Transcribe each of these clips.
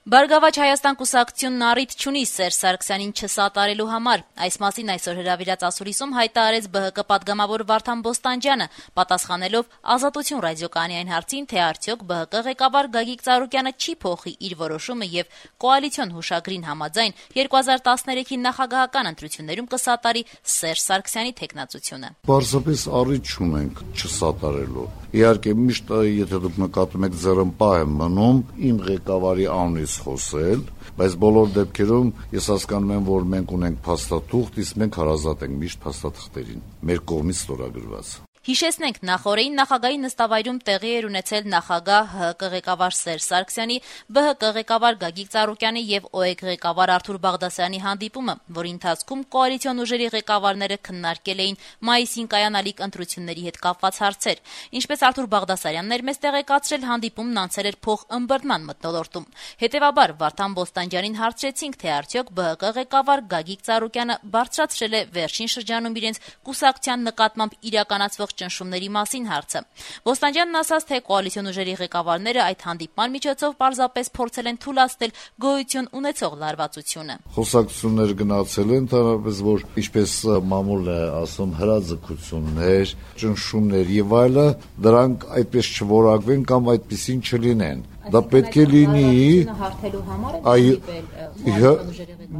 Բարգավաճ Հայաստան կուսակցությունն առիթ չունի Սերժ Սարգսյանին չսատարելու համար։ Այս մասին այսօր հրավիրած ասուլիսում հայտարարեց ԲՀԿ պատգամավոր Վարդան Բոստանջյանը, պատասխանելով Ազատություն ռադիոկայանի այն հարցին, թե արդյոք ԲՀԿ ղեկավար Գագիկ Ծառուկյանը չի փոխի իր որոշումը եւ կոալիցիոն հուշագրին համաձայն 2013-ի նախագահական ընտրություններում կսատարի Սերժ Սարգսյանի թեկնածությունը։ Պարզապես առիթ չունենք չսատարելու։ Իհարկե միշտ եթե դուք նկատում եք ձեռնպահ եմ մնում իմ ղեկավարի անունից խոսել, բայց բոլոր դեպքերում ես հասկանում եմ, որ մենք ունենք փաստաթուղթ, իսկ մենք հարազատ ենք միշտ փաստաթղթերին, մեր կողմից ստորագրված։ Հիշեցնենք, նախորդին նախագահի նստավայրում տեղի էր ունեցել նախագահ ՀՀԿ ղեկավար Սերժ Սարգսյանի, ԲՀԿ ղեկավար Գագիկ Ծառուկյանի եւ ՕԵԿ ղեկավար Արթուր Բաղդասարյանի հանդիպումը, որի ընթացքում կոալիցիոն ուժերի ղեկավարները քննարկել էին մայիսին կայանալիք ընտրությունների հետ կապված հարցեր։ Ինչպես Արթուր Բաղդասարյանն էր մեզ տեղեկացրել, հանդիպումն անցել էր փոխըմբռնման մթնոլորտում։ Հետևաբար Վարդան Բոստանջյանին հարցրեցինք, թե արդյոք ԲՀԿ ղեկավար Գագիկ Ծառուկյանը բարձրացրել է վերջին շրջանում իրենց կուսակցության նկատմամբ իրականացվող ճնշումների մասին հարցը։ Բոստանջյանն ասաց, թե կոալիցիոն ուժերի ղեկավարները այդ հանդիպման միջոցով պարզապես փորձել են թույլատնել գոյություն ունեցող լարվածությունը։ Խոսակցություններ գնացել են, ընդհանրապես որ ինչպես մամուլն է ասում, հրաձգություններ, ճնշումներ եւ այլը, դրանք այդպես չորակվեն կամ այդպեսին չլինեն։ Դա պետք է լինի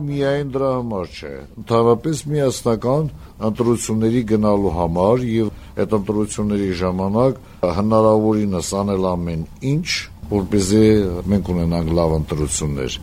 միայն դրա համար չէ, ընդհանրապես միասնական ընտրությունների գնալու համար եւ այդ ընտրությունների ժամանակ հնարավորինս անել ամեն ինչ, որպեսզի մենք ունենանք լավ ընտրություններ։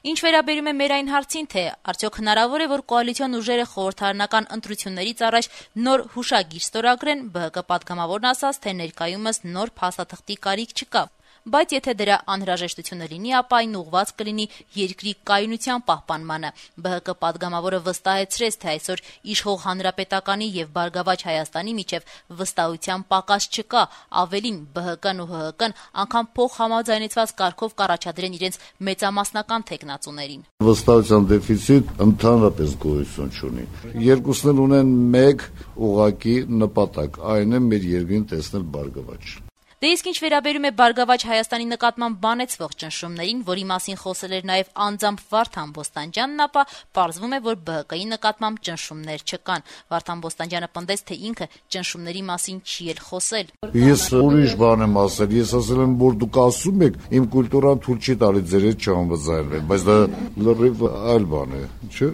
Ինչ վերաբերում է մեր այն հարցին, թե արդյոք հնարավոր է, որ կոալիցիոն ուժերը խորհրդարանական ընտրություններից առաջ նոր հուշագիր ստորագրեն, ԲՀԿ պատգամավորն ասաց, թե ներկայումս նոր փաստաթղթի կարիք չկա։ Բայց եթե դրա անհրաժեշտությունը լինի, ապա այն ուղղված կլինի երկրի կայունության պահպանմանը։ ԲՀԿ պատգամավորը վստահեցրեց, թե այսօր իշխող Հանրապետականի եւ Բարգավաճ Հայաստանի միջև վստահության պակաս չկա, ավելին ԲՀԿ-ն ու ՀՀԿ-ն անգամ փոխհամաձայնեցված կարգով կառաջադրեն իրենց մեծամասնական թեկնածուներին։ Վստահության դեֆիցիտ ընդհանրապես գոյություն չունի։ Երկուսն էլ ունեն մեկ ուղղակի նպատակ, այն է մեր երկրին տեսնել բարգավաճ։ Դե իսկ ինչ վերաբերում է Բարգավաճ Հայաստանի նկատմամբ բանեցվող ճնշումներին, որի մասին խոսել էր նաև անձամբ Վարդան Բոստանջյանն, ապա պարզվում է, որ ԲՀԿ-ի նկատմամբ ճնշումներ չկան։ Վարդան Բոստանջյանը պնդեց, թե ինքը ճնշումների մասին չի էլ խոսել։ Ես ուրիշ բան եմ ասել, ես ասել եմ, որ դուք ասում եք, իմ կուլտուրան թույլ չի տալի ձեր հետ չհամաձայնվել, բայց դա լրիվ այլ բան է, չէ՞։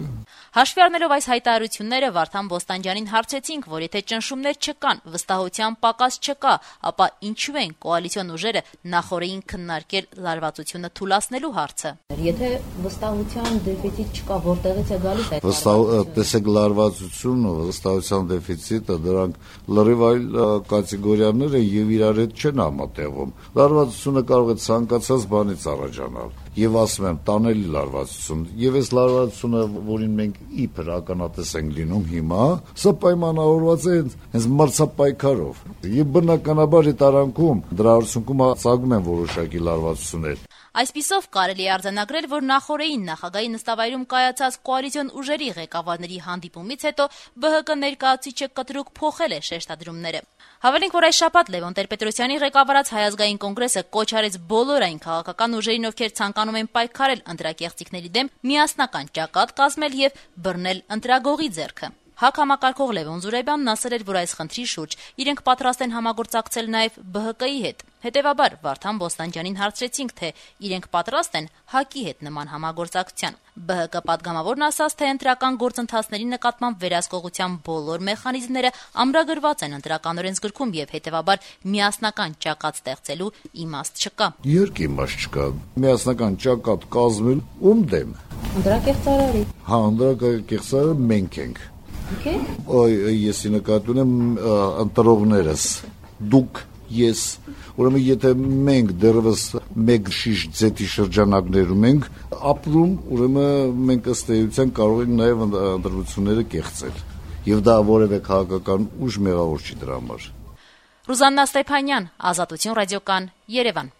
Հաշվի առնելով այս հայտարարությունները, Վարդան Բոստանջյանին հարցրեցինք, որ եթե ճնշումներ չկան, վստահության պակաս չկա, ապա ինչու են կոալիցիոն ուժերը նախորդին քննարկել լարվածությունը թույլատնելու հարցը։ Եթե վստահության դեֆիցիտ չկա, որտեղից է գալիս այդ տեսեք լարվածությունը, վստահության դեֆիցիտը, դրանք լրիվ այլ կատեգորիաներ են եւ իրար հետ չեն համատեղվում։ Լարվածությունը կարող է ցանկացած բանից առաջանալ։ Եվ ասում եմ, տանելի լարվածություն, եւ այս լարվածությունը, որին մենք իբր ականատես ենք լինում հիմա, սա պայմանավորված է հենց մրցապայքարով։ Եվ բնականաբար այդ արանքում դրա արդյունքում ծագում են որոշակի լարվածություններ։ Այսպիսով կարելի է արձանագրել, որ նախորդին նախագահի նստավայրում կայացած կոալիցիոն ուժերի ղեկավարների հանդիպումից հետո ԲՀԿ ներկայացուցիչը կտրուկ փոխել է շեշտադրումները։ Հավելենք, որ այս շաբաթ Լևոն Տեր-Պետրոսյանի ղեկավարած Հայ ազգային կոնգրեսը կոչ արեց բոլոր այն քաղաքական ուժերին, ովքեր ցանկանում են պայքարել ընտրակեղծիքների դեմ, միասնական ճակատ կազմել եւ բռնել ընտրագողի ձեռքը։ ՀԱԿ համակարգող Լևոն Զուրաբյանն ասել էր, որ այս խնդրի շուրջ իրենք պատրաստ են համագործակցել նաև ԲՀԿ-ի հետ։ Հետևաբար Վարդան Բոստանջյանին հարցրեցինք, թե իրենք պատրաստ են ՀԱԿ-ի հետ նման համագործակցության։ ԲՀԿ պատգամավորն ասաց, թե ընտրական գործընթացների նկատմամբ վերահսկողության բոլոր մեխանիզմները ամրագրված են ընտրական օրենսգրքում եւ հետևաբար միասնական ճակատ ստեղծելու իմաստ չկա։ Իհարկե իմաստ չկա։ Միասնական ճակատ կազմել ում դեմ։ Ընտրակեղծարարի։ Հա, ընտրակեղծարարը մենք ենք։ Ես նկատում եմ ընտրողներս, դուք, ես, ուրեմն եթե մենք դեռևս մեկ շիշ ձետի շրջանակներում ենք ապրում, ուրեմն մենք ըստ էության կարող ենք նաև ընտրությունները կեղծել, եւ դա որևէ քաղաքական ուժ մեղավոր չի դրա համար։ Ռուզաննա Ստեփանյան, Ազատություն ռադիոկան, Երևան։